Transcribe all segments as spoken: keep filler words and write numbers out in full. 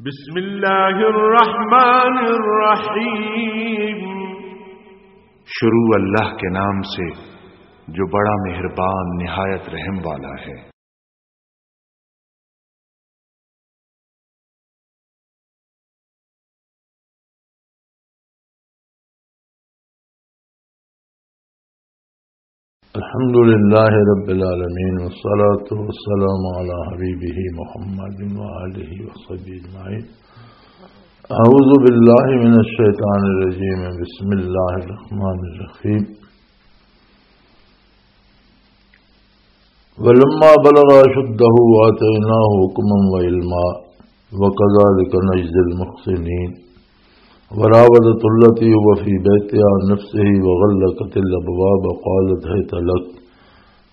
بسم اللہ الرحمن الرحیم۔ شروع اللہ کے نام سے، جو بڑا مہربان، نہایت رحم والا ہے۔ الحمد لله رب العالمين، والصلاة والسلام على حبيبه محمد وآله وصحبه أجمعين. أعوذ بالله من الشيطان الرجيم. بسم الله الرحمن الرحيم. ولما بلغ أشده آتيناه حكما وعلما وكذلك نجزي المحسنين. وراودته التي هو في بيتها عن نفسه وغلقت الأبواب قالت هيت لك.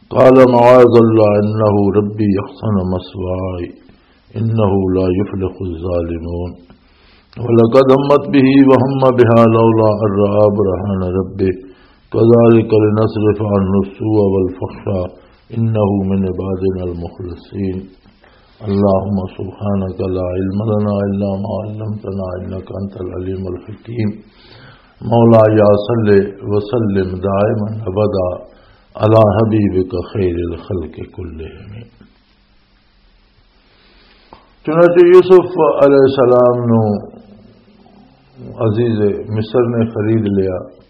قال معاذ الله إنه ربي أحسن مثواي إنه لا يفلح الظالمون. ولقد همت به وهم بها لولا أن رأى برهان ربه كذلك لنصرف عنه السوء والفحشاء إنه من عبادنا المخلصين. اللهم سبحانك لا علم لنا إلا ما علمتنا إنك أنت العليم الحكيم. مولاي صل وسلم دائما أبدا على حبيبك خير الخلق كلهم. چنانچہ یوسف علیہ السلام نو عزیز مصر نے خرید لیا،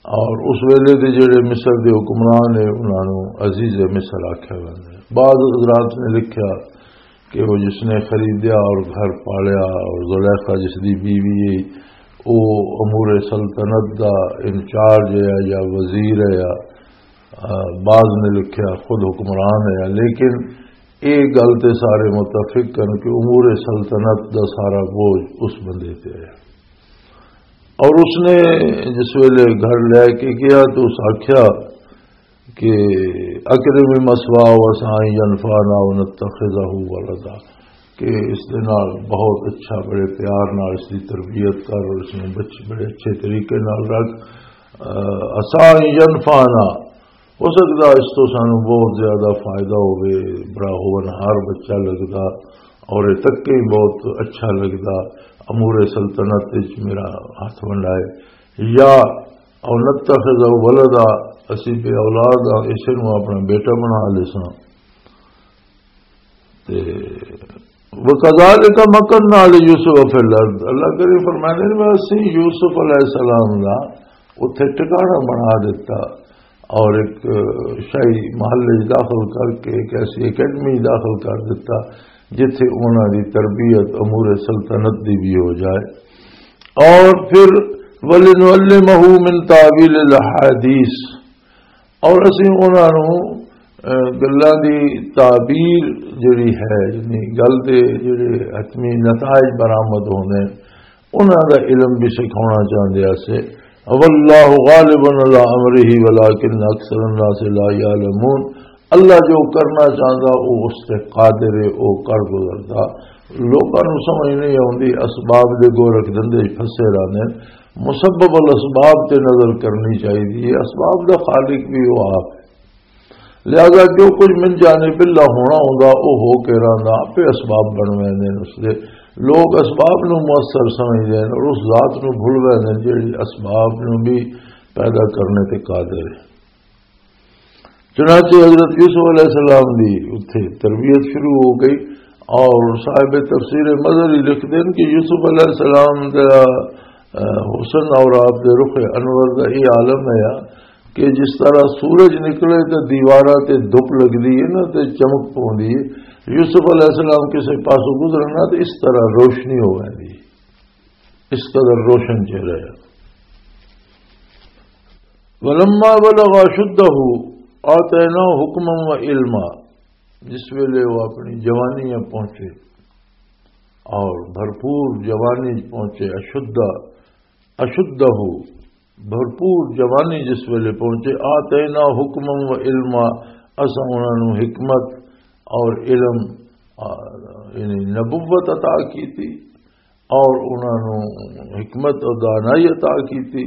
اور اس ویلے دے جڑے مصر دے حکمران نے، انہاں نو عزیز مصر آکھیا ویندا ہے۔ بعض حضرات نے لکھیا کہ وہ جس نے خریدیا اور گھر پالیا، اور زلیخا جس دی بیوی ہے، وہ امور سلطنت دا انچارج ہے یا وزیر ہے، یا، آ، بعض نے لکھیا خود حکمران ہے، لیکن اے گل تے سارے متفق ہن کہ امور سلطنت دا سارا بوجھ اس بندے تے ہے۔ اور اس نے جس ویلے گھر لے کے گیا تو اس آکھیا کہ اکرم مثواہ و عسیٰ ان ینفعنا او نتخذہ ولدا، کہ اس دے نال بہت اچھا، بڑے پیار نال اس دی تربیت کر اور اس نوں بچ-، بڑے اچھے طریقے نال رکھ۔ آ، عسیٰ ان ینفعنا، ہو سکدا اس تو سانوں بہت زیادہ فائدہ ہووے، بڑا ہونہار بچہ لگدا اور یہ تک ہی بہت اچھا لگدا، امور سلطنت وچ میرا ہاتھ ونڈائے، یا او نتخذہ ولدا، اسی بے اولاد ہاں، اسے نوں اپنا بیٹا بنا لیساں۔ تے وَكَذَلِكَ مَكَّنَّا لِيُوسُفَ فِي الْأَرْضِ، اللہ کریم فرماندے نے، میں اسی یوسف علیہ السلام دا اتھے ٹھکانہ بنا دیتا اور ایک شاہی محلے داخل کر کے ایک ایسی اکیڈمی داخل کر دیتا جتھے انہاں دی تربیت امور سلطنت دی بھی ہو جائے۔ اور پھر وَلِنُعَلِّمَهُ مِن تَأْوِيلِ الْأَحَادِيثِ، اور اسی انہاں نوں، اہ، گلاں دی تعبیر جڑی ہے، یعنی گل دے جڑے حتمی نتائج برآمد ہوندے نے، انہاں دا علم بھی سکھاونا چاہندے اسے۔ واللہ غالب علی امرہ ولکن اکثر الناس لا یعلمون۔ اللہ جو کرنا چاہندا، او اس تے قادر ہے، او کر گزردا۔ لوکاں نوں سمجھ نہیں آوندی، اسباب دے گو رکھ دندے پھسے رہندے۔ مسبب الاسباب تے نظر کرنی چاہیے، اسباب دا خالق بھی وہ آپ ہے۔ لہذا جو کچھ من جانب اللہ ہونا ہوندا، وہ ہو کے رہندا، آپے اسباب بن ویندے نے اس دے۔ لوگ اسباب نو مؤثر سمجھدے نے اور اس ذات نو بھول ویندے نے جڑی اسباب نو بھی پیدا کرنے تے قادر ہے۔ چنانچہ حضرت یوسف علیہ السلام دی اتھے تربیت شروع ہو گئی، اور صاحب تفسیر مظہری لکھدے نے کہ یوسف علیہ السلام دا، اہ، حسن اور آپ دے رخ انور دا یہ عالم ہے کہ جس طرح سورج نکلے تے دیواراں تے دھپ لگدی ہے نا، تے چمک پوندی ہے، یوسف علیہ السلام کسے پاسوں گزرن نا تے اس طرح روشنی ہو ویندی ہے، اس قدر روشن چہرہ ہے۔ ولما بلغ اشدہ آتیناہ حکما و علما، جس ویلے وہ اپنی جوانی میں پہنچے اور بھرپور جوانی پہنچے، اشدہ، اشدہ، بھرپور جوانی جس ویلے پہنچے، آتینا حکما و علما، اساں انہاں نوں حکمت اور علم، آ، یعنی نبوت عطا کی تھی، اور انہاں نوں حکمت اور دانائی عطا کی تھی،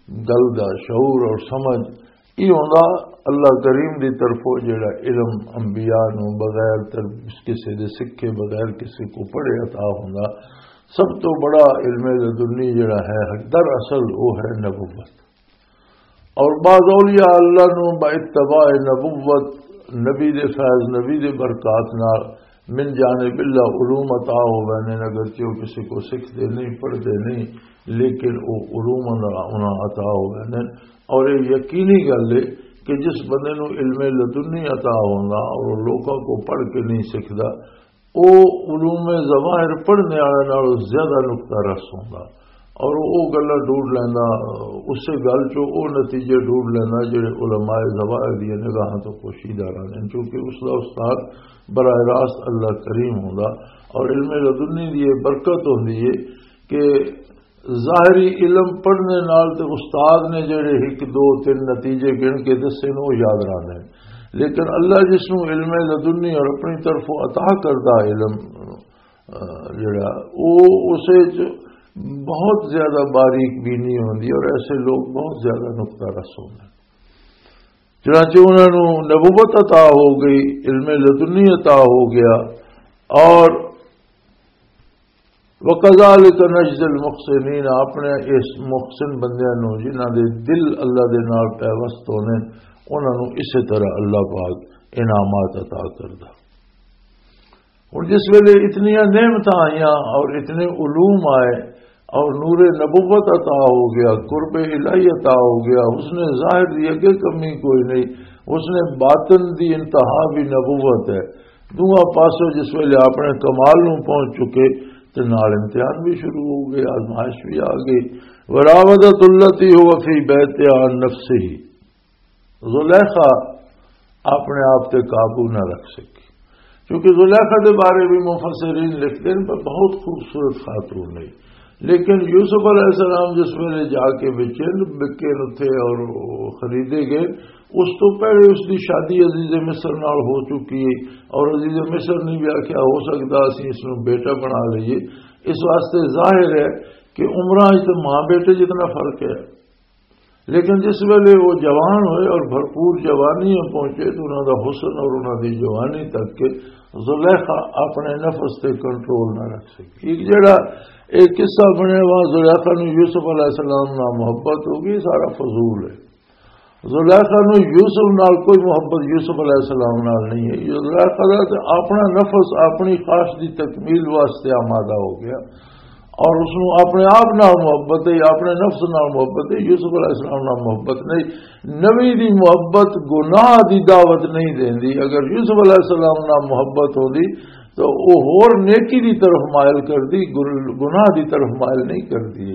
گل دا شعور اور سمجھ، یہ ہوندا اللہ کریم دی طرفوں جڑا علم انبیاء نو بغیر تر-، کسے دے سکھے، بغیر کسے کو پڑھے عطا ہوندا۔ سب تو بڑا علم لدنی جڑا ہے، دراصل وہ ہے نبوت۔ اور بعض اولیاء اللہ نو با اتباع نبوت، نبی دے فیض، نبی دے برکات نال من جانب اللہ علوم عطا ہو ویندے نے، اگرچہ وہ کسی کو سکھدے نہیں، پڑھدے نہیں، لیکن وہ علوم انہاں، انہاں عطا ہو ویندے نے۔ اور یہ یقینی گل ہے کہ جس بندے نو علم لدنی عطا ہوندا اور وہ لوکاں کو پڑھ کے نہیں سکھدا، وہ علوم ظواہر پڑھنے والے نالوں زیادہ نقطہ رس ہوندا اور وہ گلاں ڈھونڈ لیندا، اسے گل چوں وہ نتیجے ڈھونڈ لیندا جڑے علماء ظواہر دی نگاہاں تو پوشیدہ رہندے نے، کیونکہ اس دا استاد براہ راست اللہ کریم ہوندا۔ اور علم لدنی دی یہ برکت ہوندی ہے کہ ظاہری علم پڑھنے نال تے استاد نے جڑے ایک دو تین نتیجے گن کے دسے نے، وہ یاد رہندے نے۔ لیکن اللہ جس نوں علم لدنی اور اپنی طرفوں عطا کردہ علم، آ، جڑا، وہ اسے چ بہت زیادہ باریک بینی ہوندی اور ایسے لوگ بہت زیادہ نقطہ رس ہوندے۔ چنانچہ انہاں نوں نبوت عطا ہو گئی، علم لدنی عطا ہو گیا، اور وَكَذَلِكَ نَجْزِي الْمُحْسِنِينَ، اپنے اس محسن بندیاں نوں جنہاں دے دل اللہ دے نال پیوست ہونے، انہاں نوں اسی طرح اللہ پاک انعامات عطا کردا۔ ہن جس ویلے اتنیاں نعمتاں آئیاں اور اتنے علوم آئے اور نور نبوت عطا ہو گیا، قرب الہی عطا ہو گیا، اس نے ظاہر دی اگے کمی کوئی نہیں، اس نے باطن دی انتہا بھی نبوت ہے۔ دونوں پاسوں جس ویلے اپنے کمال نوں پہنچ چکے تے نال امتحان بھی شروع ہو گئے، آزمائش بھی آ گئی۔ وراودت التی هو فی بیتها عن نفسه، زلیخا اپنے آپ تے قابو نہ رکھ سکی، کیونکہ زلیخا دے بارے بھی مفسرین لکھتے ہیں پر بہت خوبصورت خاتون نہیں۔ لیکن یوسف علیہ السلام جس ویلے جا کے بیچے، بکے اتھے اور خریدے گئے، اس تو پہلے اس دی شادی عزیز مصر نال ہو چکی ہے، اور عزیز مصر نے بھی آخیا، ہو سکتا اسی اس نوں بیٹا بنا لئیے۔ اس واسطے ظاہر ہے کہ عمراں وچ تے ماں بیٹے جتنا فرق ہے۔ لیکن جس ویلے وہ جوان ہوئے اور بھرپور جوانی میں پہنچے تو انہاں دا حسن اور انہاں دی جوانی تک کہ زلیخا اپنے نفس تے کنٹرول نہ رکھ سکی۔ ایک جڑا ایک قصہ بنے، وہاں زلیخا نو یوسف علیہ السلام نال محبت ہو گئی، سارا فضول ہے۔ زلیخا نو یوسف نال کوئی محبت یوسف علیہ السلام نال نہیں ہے۔ زلیخا دا تے اپنا نفس اپنی خواہش دی تکمیل واسطے آمادہ ہو گیا اور اس نو اپنے آپ نال محبت ہے، اپنے نفس نال محبت ہے، یوسف علیہ السلام نال محبت نہیں۔ نبی دی محبت گناہ دی دعوت نہیں دیندی۔ اگر یوسف علیہ السلام نال محبت ہوندی تو وہ ہور نیکی دی طرف مائل کردی، گن-، گناہ دی طرف مائل نہیں کردی۔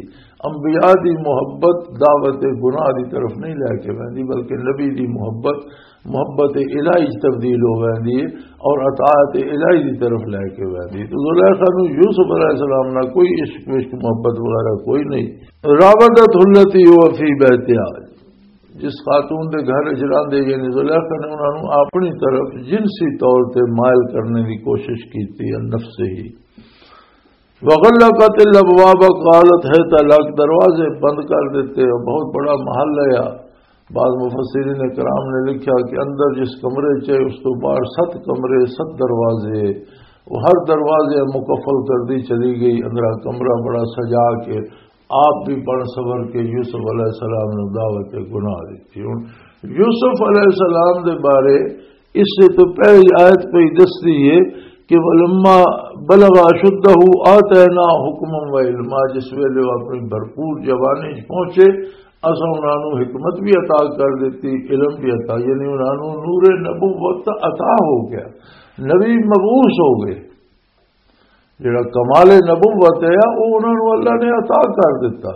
انبیاء دی محبت دعوت گناہ دی طرف نہیں لے کے ویندی، بلکہ نبی دی محبت محبت الہی چ تبدیل ہو ویندی ہے اور اطاعت الہی دی طرف لے کے ویندی ہے۔ تو زلیخا نو یوسف علیہ السلام نال کوئی عشق وشق محبت وغیرہ کوئی نہیں۔ راودت التی هو فی بیتها، جس خاتون دے گھر وچ رہندے یعنی زلیخا نے انہاں نوں اپنی طرف جنسی طور تے مائل کرنے دی کوشش کیتی ہے، نفس ہی۔ وغلقت الابواب قالت هيت لك، دروازے بند کر دیتے۔ اور بہت بڑا محل ہے۔ بعض مفسرین کرام نے لکھا کہ اندر جس کمرے چ ہے، اس تو باہر ست کمرے، ست دروازے، وہ ہر دروازے مکفل کر دی چلی گئی۔ اندرا کمرہ بڑا سجا کے آپ بھی بن سور کے یوسف علیہ السلام نے دعوت گناہ دیتی۔ ہن یوسف علیہ السلام دے بارے اس سے تو پہلی آیت پہ ہی دستی ہے کہ ولما بلغ اشدہ آتینا حکما و علما، جس ویلے وہ اپنی بھرپور جوانی چ پہنچے، اساں انہاں نوں حکمت بھی عطا کر دیتی، علم بھی عطا، یعنی انہاں نوں نور نبوت عطا ہو گیا، نبی مبعوث ہو گئے۔ جڑا کمال نبوت ہے، وہ انہاں نوں اللہ نے عطا کر دیتا۔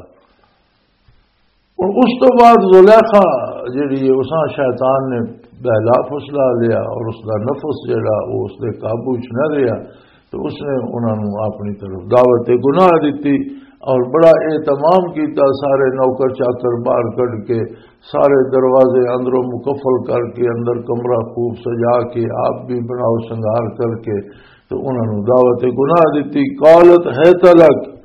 ہن اس تو بعد زلیخا جڑی ہے، اساں شیطان نے بہلا پھسلا لیا اور اس دا نفس جڑا، وہ اس دے قابو چ نہ رہیا، تو اس نے انہاں نوں اپنی طرف دعوت گناہ دتی۔ اور بڑا اہتمام کیتا، سارے نوکر چاکر باہر کڈ کے، سارے دروازے اندروں مکفل کر کے، اندر کمرہ خوب سجا کے، آپ بھی بناؤ سنگار کر کے، تو انہاں نوں دعوت گناہ دتی۔ قالت هيت لك،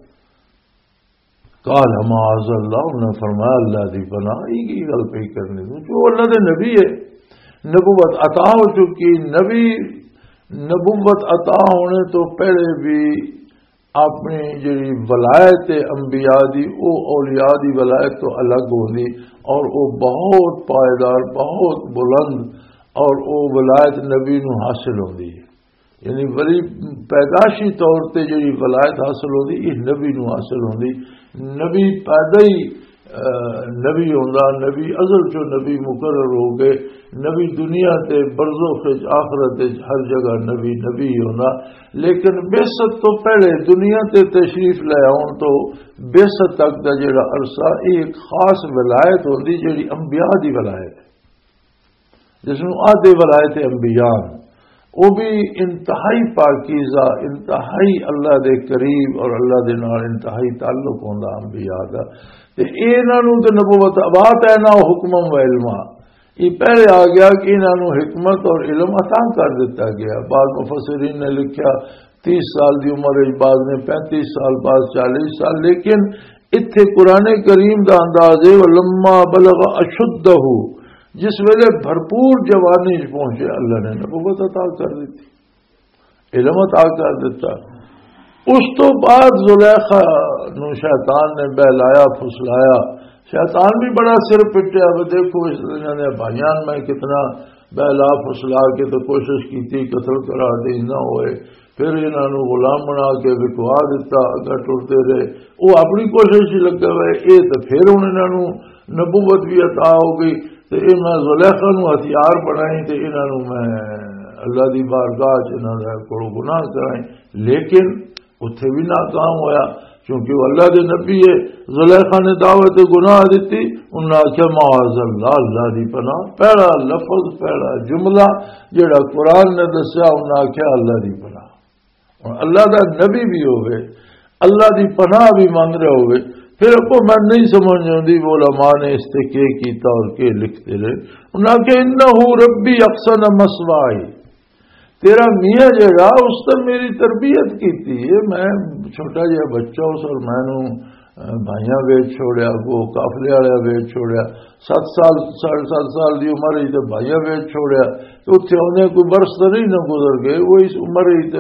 قال معاذ اللہ، انہوں نے فرمایا، "اللہ دی پناہ، یہ کی گل پئی کرنی تو جو اللہ دے نبی ہے، نبوت عطا ہو چکی، نبی، نبوت عطا ہونے تو پہلے بھی اپنی جڑی ولایت ہے انبیاء دی، او اولیاء دی ولایت تو الگ ہوندی، اور او بہت پائیدار، بہت بلند، اور او ولایت نبی نو حاصل ہوندی ہے۔" یعنی ولی پیدائشی طور تے جڑی ولایت حاصل ہوندی، یہ نبی نو حاصل ہوندی۔ نبی پیدا ہی، آ، نبی ہوندا، نبی ازل چوں نبی مقرر ہو گئے۔ نبی دنیا تے، برزخ وچ، آخرت وچ، ہر جگہ نبی نبی ہی ہوندا۔ لیکن بعثت تو پہلے، دنیا تے تشریف لے آؤن تو بعثت تک دا جڑا عرصہ، یہ ایک خاص ولایت ہوندی، جڑی انبیاء دی ولایت ہے، جس نوں آدھے ولایت انبیاء۔ وہ بھی انتہائی پاکیزہ، انتہائی اللہ دے قریب اور اللہ دے نال انتہائی تعلق ہوندا انبیاء دا۔ تے انہاں نوں تے نبوت عطا ہے، نہ حکمم و علما۔ یہ پہلے آ گیا کہ انہاں نوں حکمت اور علم عطا کر دتا گیا۔ بعض مفسرین نے لکھیا، تیس سال دی عمر وچ، بعض نے پینتیس سال، بعض چالیس سال، لیکن اتھے قرآن کریم دا انداز ہے، "ولما بلغ اشدہ"، جس ویلے بھرپور جوانی وچ پہنچے، اللہ نے نبوت عطا کر دیتی، علم عطا کر دیتا۔ اس تو بعد زلیخا نو شیطان نے بہلایا، پھسلایا۔ شیطان بھی بڑا سر پٹیا، "وہ دیکھو، اس دنیا نے بھائیاں میں کتنا بہلا پھسلا کے تو کوشش کی تھی، قتل کرا دے، نہ ہوئے۔" پھر انہاں نوں غلام بنا کے وکوا دتا، اگا ٹرتے رہے۔ وہ اپنی کوشش ہی لگا ہوئے، یہ تو پھر ہن انہاں نوں نبوت بھی عطا ہو گئی۔ تے یہ میں زلیخا نوں ہتھیار بنائی تے انہاں نوں میں اللہ دی بارگاہ چ انہاں دے کولوں گناہ کرائیں، لیکن اتھے بھی ناکام ہویا، کیونکہ وہ اللہ دے نبی ہے۔ زلیخا نے دعوت گناہ دتی، انہاں آکھیا، "معاذ اللہ، اللہ دی پناہ۔" پہلا لفظ، پہلا جملہ جڑا قرآن نے دسیا، انہاں آکھیا، "اللہ دی پناہ۔" ہن اللہ دا نبی بھی ہوے، اللہ دی پناہ بھی منگ رہا ہوے، پھر اگوں میں نہیں سمجھ آندی وہ علماء نے اس تے کی کیتا اور کی لکھتے رہے۔ انہاں آکھیا، "انہ ربی احسن مثوائی۔" تیرا میاں جڑا، اس نے میری تربیت کیتی ہے۔ میں چھوٹا جہا بچہ، اس اور میں نوں، اہ، بھائیاں ویچ چھوڑیا، وہ قافلے والا ویچ چھوڑیا۔ ست سال، ساڑھے ست سال دی عمر وچ تے بھائیاں ویچ چھوڑیا۔ تے اتھے آندے کوئی برس تے نہیں نہ گزر گئے، وہ اس عمر وچ تے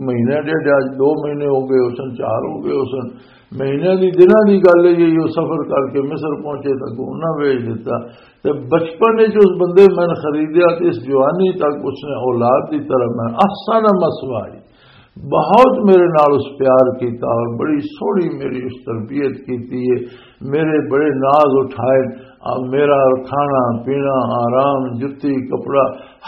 مہینے ڈیڑھ، اج دو مہینے ہو گئے ہو سن، چار ہو گئے ہو سن۔ مہینے دی، دناں دی گل ہے، یہ سفر کر کے مصر پہنچے تک انہاں ویچ دتا۔ تے بچپن وچ اس بندے میں خریدیا تے اس جوانی تک اس نے اولاد دی طرح میں احسن مثوائی، بہت میرے نال اس پیار کیتا اور بڑی سوہنی میری اس تربیت کیتی ہے، میرے بڑے ناز اٹھائے، آ، میرا کھانا پینا، آرام، جتی، کپڑا،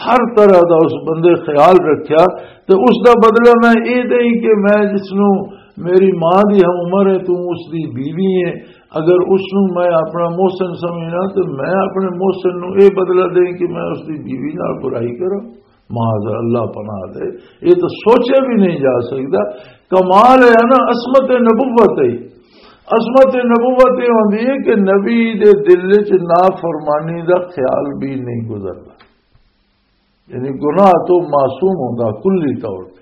ہر طرح دا اس بندے خیال رکھیا۔ تے اس دا بدلہ میں اے دئی کہ میں جس نوں، میری ماں دی ہم عمر ہے، توں اس دی بیوی ہے، اگر اس نوں میں اپنا محسن سمجھنا تے میں اپنے محسن نوں اے بدلہ دیں کہ میں اس دی بیوی نال برائی کراں؟ معاذ اللہ، پناہ دے، یہ تو سوچا بھی نہیں جا سکتا۔ کمال ہے نا، عصمت نبوت ہے۔ عصمت نبوت یہ ہوندی ہے کہ نبی دے دل وچ نافرمانی دا خیال بھی نہیں گزرتا، یعنی گناہ تو معصوم ہوندا کلی طور تے۔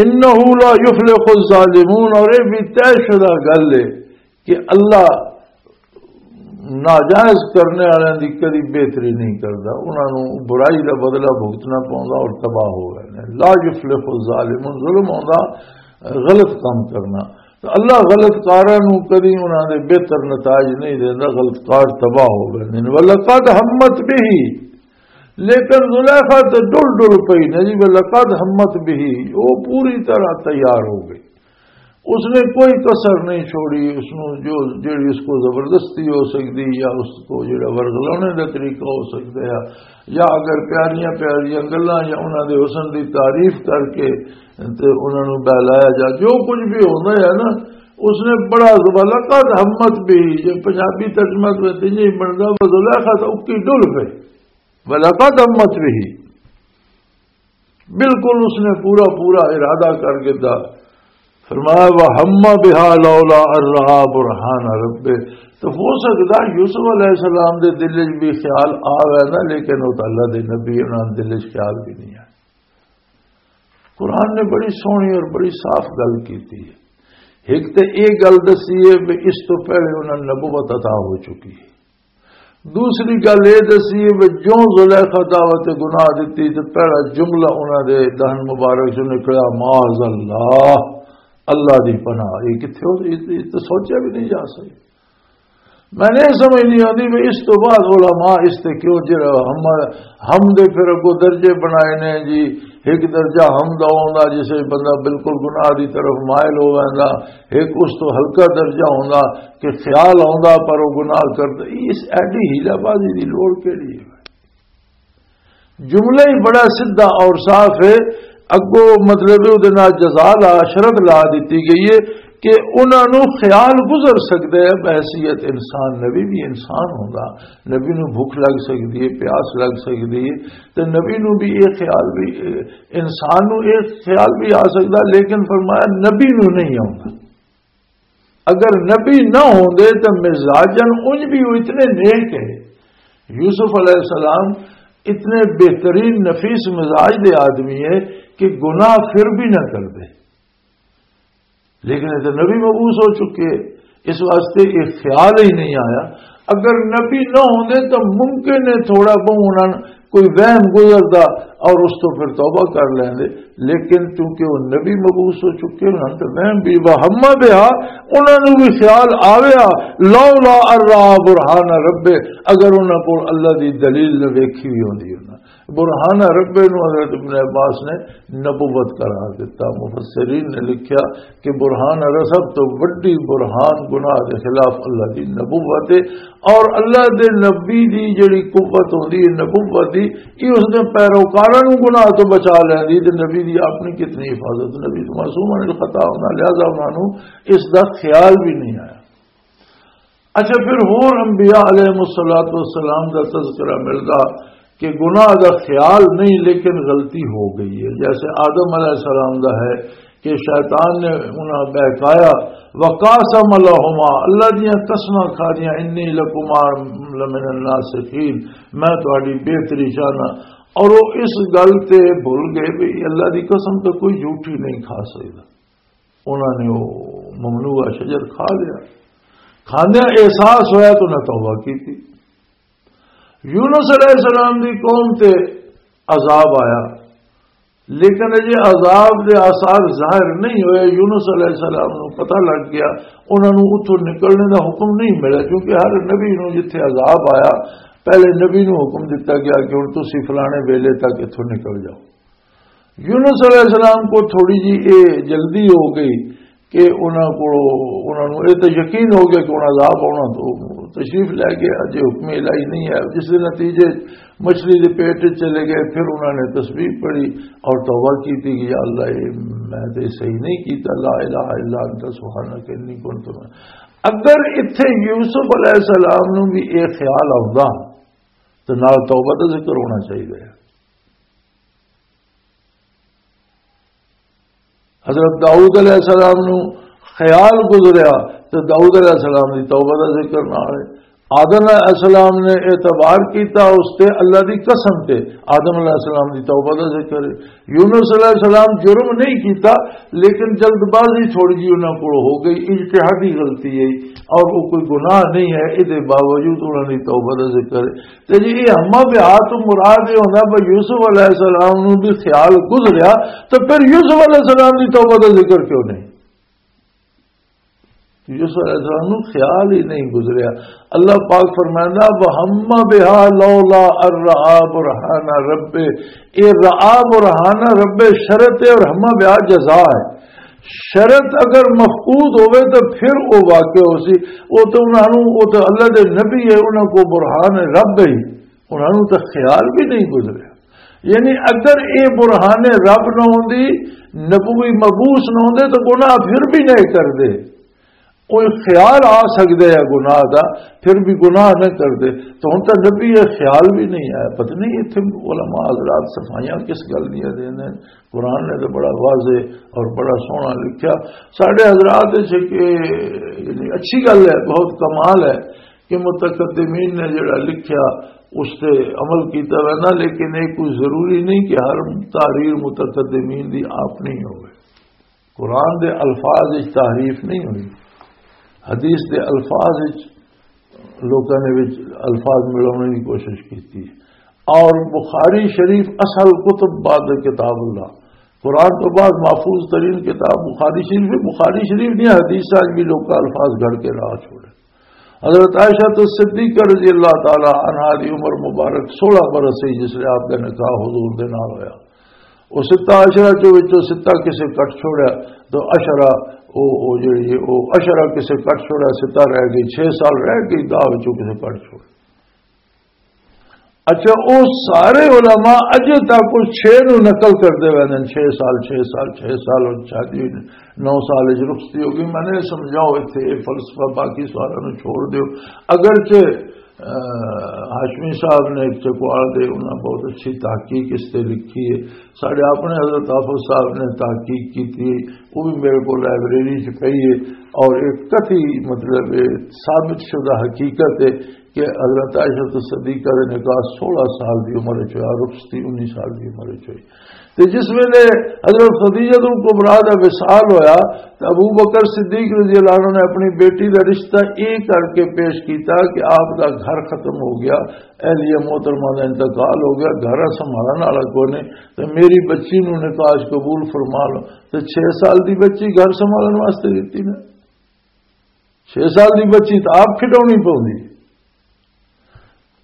"انہ لا یفلح الظالمون"، اور یہ بھی طے شدہ گل ہے کہ اللہ ناجائز کرنے والوں دی کدی بہتری نہیں کردا، انہاں نوں برائی دا بدلہ بھگتنا پوندا اور تباہ ہو گئے نے۔ "لا یفلح الظالمون"، ظلم ہوندا غلط کام کرنا، تے اللہ غلط کاراں نوں کدی انہاں دے بہتر نتائج نہیں دیندا، غلط کار تباہ ہو گئے نے۔ "ولقد ہمت بہ"، لیکن زلیخا تے ڈل ڈل پئی نا جی، "ولقد ہمت بہ"، وہ پوری طرح تیار ہو گئی، اس نے کوئی کسر نہیں چھوڑی، اس نوں جو، جڑی اس کو زبردستی ہو سکتی یا اس کو جڑا ورغلانے دا طریقہ ہو سکتا ہے، یا اگر پیاریاں پیاریاں گلاں یا انہاں دے حسن دی تعریف کر کے تے انہاں نوں بہلایا جا، جو کچھ بھی ہوندا ہے نا، اس نے بڑا، "ولقد ہمت بہ"، یہ پنجابی ترجمہ تو اتنے ہی بندا، وہ زلیخا تو اکی ڈل پئی، "ولقد ہمت بہ"، بالکل اس نے پورا پورا ارادہ کر کے دا۔ فرمایا، "وَهَمَّ بِهَا لَوْلَا أَن رَّأَىٰ بُرْهَانَ رَبِّهِ"۔ تو ہو سکتا یوسف علیہ السلام دے دل وچ بھی خیال آ گیا نا، لیکن وہ تو اللہ دے نبی، انہاں دے دل وچ خیال بھی نہیں آیا۔ قرآن نے بڑی سوہنی اور بڑی صاف گل کیتی ہے۔ ایک تے یہ گل دسی ہے بھی اس تو پہلے انہاں نوں نبوت عطا ہو چکی ہے۔ دوسری گل یہ دسی ہے بھی جو زلیخا دعوت گناہ دتی تے پہلا جملہ انہاں دے دہن مبارک چوں نکلیا، "معاذ اللہ، اللہ دی پناہ۔" یہ کتھے ہو، یہ، یہ تو سوچا بھی نہیں جا سکتا۔ میں نے یہ سمجھ نہیں آتی بھی اس تو بعد علماء اس تے کیوں جڑا ہم، ہم دے پھر اگوں درجے بنائے نے جی، ایک درجہ ہم دا ہوندا جسے بندہ بالکل گناہ دی طرف مائل ہو ویندا، ایک اس تو ہلکا درجہ ہوندا کہ خیال آوندا پر وہ گناہ کردا۔ اس ایڈی ہیلہ بازی دی لوڑ کیڑی ہے؟ جملہ ہی بڑا سیدھا اور صاف ہے۔ اگوں مطلب ہے، اودے نال جزا لا، شرط لا دتی گئی ہے کہ انہاں نوں خیال گزر سکدا ہے بحیثیت انسان، نبی بھی انسان ہوندا، نبی نوں بھوک لگ سکدی ہے، پیاس لگ سکدی ہے، تے نبی نوں بھی یہ خیال بھی، انسان نوں یہ خیال بھی آ سکدا، لیکن فرمایا نبی نوں نہیں آوندا۔ اگر نبی نہ ہوندے تو مزاجن انج بھی وہ اتنے نیک ہے، یوسف علیہ السلام اتنے بہترین نفیس مزاج دے آدمی ہے کہ گناہ پھر بھی نہ کر دے، لیکن یہ تو نبی مبعوث ہو چکے، اس واسطے یہ خیال ہی نہیں آیا۔ اگر نبی نہ ہوندے تو ممکن ہے تھوڑا بہت انہاں کوئی وہم گزردا اور اس تو پھر توبہ کر لیندے، لیکن چونکہ وہ نبی مبعوث ہو چکے، انہاں تو وہم بھی، وہم بہا، انہاں نوں بھی خیال آویا، لولا ان رأى برهان ربه، اگر انہاں کول اللہ دی دلیل نہ ویکھی ہوئی ہوندی انہاں۔ برهان ربه نوں حضرت ابن عباس نے نبوت قرار دیتا۔ مفسرین نے لکھیا کہ برهان رسب تو وڈی برهان گناہ دے خلاف اللہ دی نبوت ہے، اور اللہ دے نبی دی جڑی قوت ہوندی ہے نبوت دی، یہ اس دے پیروکاراں نوں گناہ تو بچا لیندی، تے نبی دی اپنی کتنی حفاظت، نبی تو معصوم عن الخطا ہونا، لہذا انہاں نوں اس دا خیال بھی نہیں آیا۔ اچھا، پھر ہور انبیاء علیہ الصلوۃ والسلام دا تذکرہ ملدا کہ گناہ دا خیال نہیں لیکن غلطی ہو گئی ہے، جیسے آدم علیہ السلام دا ہے کہ شیطان نے انہاں بہکایا، وقاسم لهما، اللہ دیاں قسماں کھا دیاں، انی لکما لمن الناصحین، میں تہاڈی بہتری چاہنا۔ اور وہ اس گل تے بھول گئے بھی اللہ دی قسم تو کوئی جھوٹی نہیں کھا سکدا۔ انہاں نے وہ ممنوع شجر کھا لیا۔ کھاندیاں احساس ہویا تو انہاں توبہ کی تھی۔ یونس علیہ السلام دی قوم تے عذاب آیا، لیکن اجے عذاب دے آثار ظاہر نہیں ہوئے۔ یونس علیہ السلام نو پتہ لگ گیا، انہاں نو اتھوں نکلنے دا حکم نہیں ملیا، کیونکہ ہر نبی نو جتھے عذاب آیا، پہلے نبی نو حکم دتا گیا کہ ہن تسی فلانے ویلے تک اتھوں نکل جاؤ۔ یونس علیہ السلام کو تھوڑی جی اے جلدی ہو گئی کہ انہاں کو، انہاں نوں اے تے یقین ہو گیا کہ انہاں عذاب آنا، تو تشریف لے گئے، اجے حکم الہی نہیں ہے، جس دے نتیجے مچھلی دے پیٹ وچ چلے گئے۔ پھر انہاں نے تسبیح پڑھی اور توبہ کی تھی کہ یا اللہ، اے میں تے صحیح نہیں کیتا، لا الہ الا انت سبحانک انی کنت من۔ اگر اتھے یوسف علیہ السلام نوں بھی اے خیال آوندا تو نال توبہ دا ذکر ہونا چاہیے۔ حضرت داؤد علیہ السلام نو خیال گزریا تے داؤد علیہ السلام دی توبہ دا ذکر نہ آئے۔ آدم علیہ السلام نے اعتبار کیتا اس تے، اللہ دی قسم تے، آدم علیہ السلام دی توبہ دا ذکر ہے۔ یونس علیہ السلام جرم نہیں کیتا، لیکن جلد بازی تھوڑی جی انہاں کول ہو گئی، اجتہادی غلطی ہے اور وہ کوئی گناہ نہیں ہے، اس دے باوجود انہاں دی توبہ دا ذکر ہے۔ تے جی یہ ہما بہا تو مراد یہ ہونا بھی یوسف علیہ السلام نو بھی خیال گزریا، تو پھر یوسف علیہ السلام دی توبہ دا ذکر کیوں نہیں؟ یوسف علیہ السلام نو خیال ہی نہیں گزریا۔ اللہ پاک فرمائندا، "وَهَمَّ بِهَا لَوْلَا أَن رَّأَىٰ بُرْهَانَ رَبِّهِ۔" یہ رَأَىٰ بُرْهَانَ رَبِّهِ شرط ہے اور ہما بہا جزا ہے۔ شرط اگر مفقود ہوئے تو پھر وہ واقع ہو سی۔ وہ تو انہاں نوں، وہ تو اللہ دے نبی ہے، انہاں کو برہان رب ہے، انہاں نوں تو خیال بھی نہیں گزریا۔ یعنی اگر اے برہان رب نہ ہوندی، نبوی مبعوث نہ ہوندے تو گناہ پھر بھی نہیں کردے۔ کوئی خیال آ سکدا ہے گناہ دا، پھر بھی گناہ نہ کردے۔ تو ہن تاں نبی یہ خیال بھی نہیں آیا۔ پتہ نہیں اتھے علماء حضرات صفائیاں کس گل دیاں دیندے نے۔ قرآن نے تو بڑا واضح اور بڑا سوہنا لکھیا۔ ساڈے حضرات وچ کہ یعنی اچھی گل ہے، بہت کمال ہے کہ متقدمین نے جڑا لکھیا اس تے عمل کیتا ویندا، لیکن یہ کوئی ضروری نہیں کہ ہر تحریر متقدمین دی اپنی ہوئے۔ قرآن دے الفاظ وچ تحریف نہیں ہوئی، حدیث دے الفاظ وچ لوکاں نے وچ الفاظ ملانے کی کوشش کی تھی۔ اور بخاری شریف اصل کتب بعد کتاب اللہ، قرآن تو بعد محفوظ ترین کتاب بخاری شریف ہے۔ بخاری شریف دیا حدیث اج بھی لوکاں الفاظ گھڑ کے راہ چھوڑے۔ حضرت عائشہ تو صدیقہ رضی اللہ تعالی عنہا دی عمر مبارک سولہ برس سی جس لئے آپ دا نکاح حضور دے نال ہویا۔ او ستہ عشرہ چوں وچوں ستہ کسے کٹ چھوڑیا، تو عشرہ، او، او جڑی ہے، او عشرہ کسے کٹ چھوڑیا، ستہ رہ گئی، چھ سال رہ گئی، دہ وچوں کسے کٹ چھوڑیا۔ اچھا، او سارے علماء اجے تک او چھ نو نقل کردے ویندے نے، چھ سال، چھ سال، چھ سال، اور شادی ہوئی نو سال وچ رخصتی ہو گئی۔ میں نے سمجھاؤ، اتھے یہ فلسفہ باقی سوالاں نو چھوڑ دیو۔ اگرچہ، اہ، ہاشمی صاحب نے ایک چکوال دے، انہاں بہت اچھی تحقیق اس تے لکھی ہے۔ ساڈے اپنے حضرت حافظ صاحب نے تحقیق کی تھی، وہ بھی میرے کو لائبریری چ پئی ہے۔ اور ایک کتھی، مطلب، یہ ثابت شدہ حقیقت ہے کہ حضرت عائشہ صدیقہ دے نکاح سولہ سال دی عمر وچ ہویا، رخصتی انیس سال دی عمر وچ ہوئی۔ تے جس ویلے حضرت خدیجہ الکبریٰ دا وصال ہویا، تے ابو بکر صدیق رضی اللہ عنہ نے اپنی بیٹی دا رشتہ اے کر کے پیش کیتا کہ آپ دا گھر ختم ہو گیا، اہلیہ محترمہ دا انتقال ہو گیا، گھر سنبھالن والا کوئی نہیں، تے میری بچی نوں نکاح قبول فرما لو۔ تے چھ سال دی بچی گھر سنبھالن واسطے دتی نا، چھ سال دی بچی تے آپ کھڈاونی پوندی۔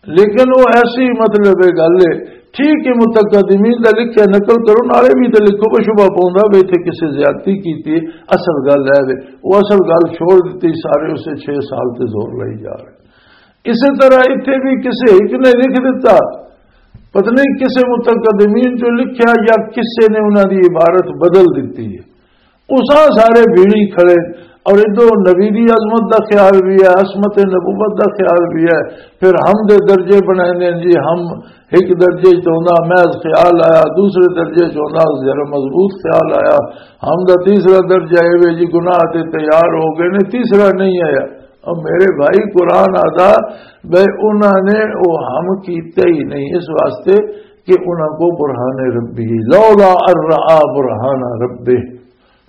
لیکن وہ ایسی، مطلب، یہ گل ہے، ٹھیک ہے، متقدمین دا لکھیا نقل کرو، نالے بھی تے لکھو، کوئی شبہ پوندا وے اتھے کسے زیادتی کیتی ہے، اصل گل ہے وے، وہ اصل گل چھوڑ دتی، سارے اسے چھ سال تے زور لائی جا رہے۔ اسی طرح اتھے بھی کسے ایک نے لکھ دیتا، پتہ نہیں کسے متقدمین چوں لکھیا یا کسے نے انہاں دی عبارت بدل دتی ہے۔ اساں سارے بھیڑی کھڑے، اور ادھر نبی دی عظمت دا خیال بھی ہے، عصمت نبوت دا خیال بھی ہے۔ پھر ہم دے درجے بنائے نے جی، ہم ایک درجے چ ہوندا محض خیال آیا، دوسرے درجے چ ہوندا ذرا مضبوط خیال آیا، ہم دا تیسرا درجہ اے وے جی، گناہ تے تیار ہو گئے نے، تیسرا نہیں آیا۔ اور میرے بھائی، قرآن آدا بھائی، انہاں نے وہ ہم کیتے ہی نہیں، اس واسطے کہ انہاں کو برہان ربی، لولا ان رآ برہان ربہ۔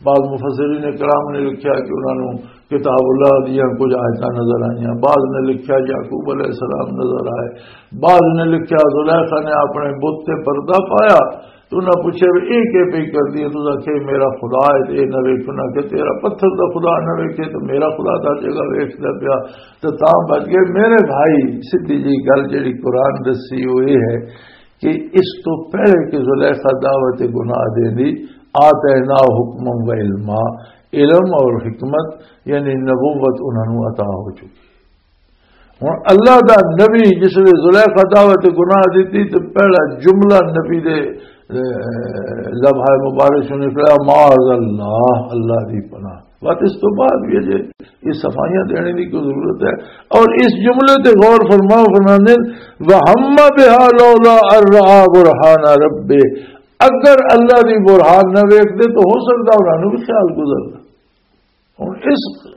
بعض مفسرین کرام نے لکھیا کہ انہاں نوں کتاب اللہ دیاں کچھ آیتاں نظر آئیاں، بعض نے لکھیا یعقوب علیہ السلام نظر آئے، بعض نے لکھیا زلیخا نے اپنے بت تے پردہ پایا۔ تو انہاں پوچھے، "اے کی پئی کردی ہے؟" تو آکھے، "میرا خدا ہے تے اے نہ ویکھنا کہ تیرا پتھر دا خدا نہ ویکھے تے میرا خدا دا جگہ ویکھدا پیا۔" تے تاں بچ گئے۔ میرے بھائی، سیدھی جی گل جڑی قرآن دسی وہ یہ ہے کہ اس تو پہلے کہ زلیخا دعوت گناہ دے دی، آتینا حکما و علما، علم اور حکمت یعنی نبوت انہاں نوں عطا ہو چکی۔ ہن اللہ دا نبی جس نے زلیخا دعوت گناہ دتی تے پہلا جملہ نبی دے، اے، لبھائے مبارک چوں نکلا، "معاذ اللہ"، اللہ دی پناہ۔ بس اس تو بعد بھی اجے یہ صفائیاں دینے کی کوئی ضرورت ہے؟ اور اس جملے تے غور فرماؤ، فرماندے، "وہم بہا لولا ان رآ برہان ربہ"، اگر اللہ دی برہان نہ ویکھدے تو ہو سکدا انہاں نوں بھی خیال گزردا۔ ہن اس،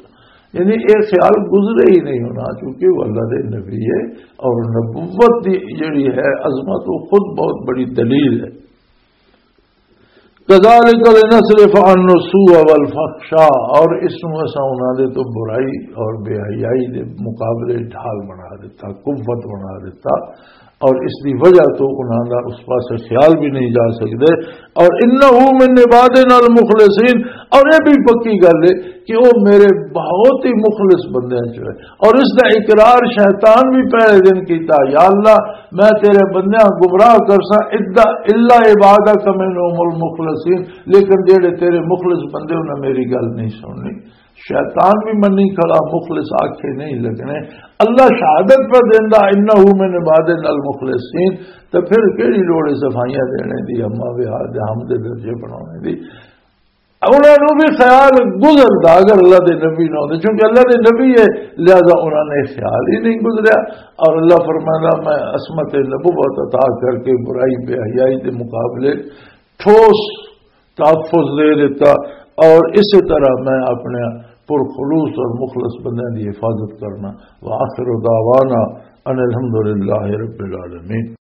یعنی یہ خیال گزرے ہی نہیں ہونا، چونکہ وہ اللہ دے نبی ہے اور نبوت دی جڑی ہے عظمت، وہ خود بہت بڑی دلیل ہے۔ "کذالک لنصرف عنہ السوء والفحشاء"، اور اس نوں اساں انہاں دے تو برائی اور بے حیائی دے مقابلے ڈھال بنا دیتا، قوت بنا دیتا، اور اس دی وجہ تو انہاں دا اس پاسے خیال بھی نہیں جا سکدے۔ اور "انہ من عبادنا المخلصین"، اور یہ بھی پکی گل ہے کہ وہ میرے بہت ہی مخلص بندیاں چ ہے۔ اور اس دا اقرار شیطان بھی پہلے دن کیتا، "یا اللہ، میں تیرے بندیاں گمراہ کرساں، ادا الا عبادک منہم المخلصین، لیکن جڑے تیرے مخلص بندے انہاں میری گل نہیں سننی۔" شیطان بھی منی کھڑا، مخلص آکھے نہیں لگنے۔ اللہ شہادت پر دیندا، "انہ من عبادنا المخلصین"، تے پھر کیڑی لوڑ ہے صفائیاں دینے دی، اما بہا دے ہم دے درجے بنانے دی؟ انہاں نوں بھی خیال گزردا اگر اللہ دے نبی نہ ہوندے، چونکہ اللہ دے نبی ہے، لہذا انہاں نے خیال ہی نہیں گزریا۔ اور اللہ فرمانا، "میں عصمت نبوت عطا کر کے برائی بے حیائی دے مقابلے ٹھوس تحفظ دے دیتا، اور اسی طرح میں اپنے پرخلوص اور مخلص بندیاں دی حفاظت کرنا۔" وآخر دعوانا ان الحمدللہ رب العالمین۔